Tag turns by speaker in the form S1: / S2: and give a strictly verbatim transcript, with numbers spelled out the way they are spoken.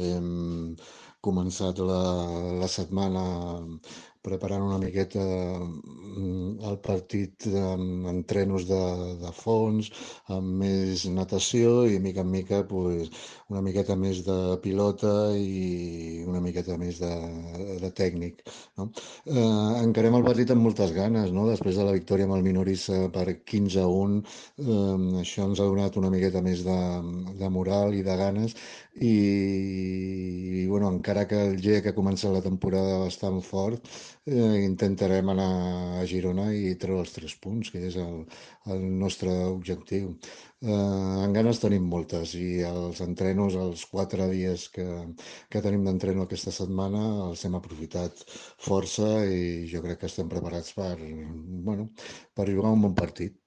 S1: Hem començat la, la setmana preparant una miqueta mm, el partit amb entrenos de, de fons, amb més natació i mica en mica pues, una miqueta més de pilota i una miqueta més de, de tècnic. No? Eh, encarem el partit amb moltes ganes, no? Després de la victòria amb el Minorissa per quinze a un, eh, això ens ha donat una miqueta més de, de moral i de ganes i, i bueno, encara que el G E C ha començat la temporada bastant fort, eh, intentarem anar a Girona i treure els tres punts, que és el, el nostre objectiu. Eh, en ganes tenim moltes i els entrenos, els quatre dies que, que tenim d'entreno aquesta setmana, els hem aprofitat força i jo crec que estem preparats per, bueno, per jugar un bon partit.